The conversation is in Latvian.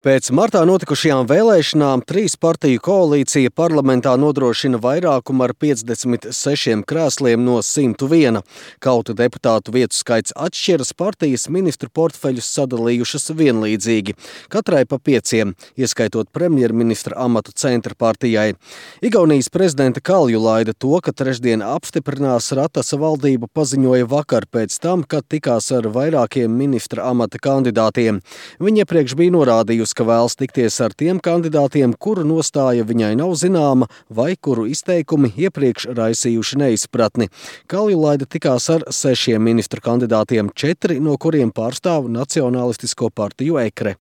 Pēc martā notikušajām vēlēšanām 3 partiju koalīcija parlamentā nodrošina vairākumu ar 56 krēsliem no 101. Kaut deputātu vietu skaits atšķiras, partijas ministru portfeļus sadalījušas vienlīdzīgi, katrai pa 5, ieskaitot premjerministra amatu Centra partijai. Igaunijas prezidenta Kaljulaida to, ka trešdien apstiprinās Ratasa valdību, paziņoja vakar pēc tam, kad tikās ar vairākiem ministra amata kandidātiem. Viņa iepriekš bija norādījusi, ka vēlas tikties ar tiem kandidātiem, kuru nostāja viņai nav zināma vai kuru izteikumi iepriekš raisījuši neizpratni. Kaljulaida tikās ar 6 ministru kandidātiem, 4 no kuriem pārstāv Nacionālistisko partiju EKRE.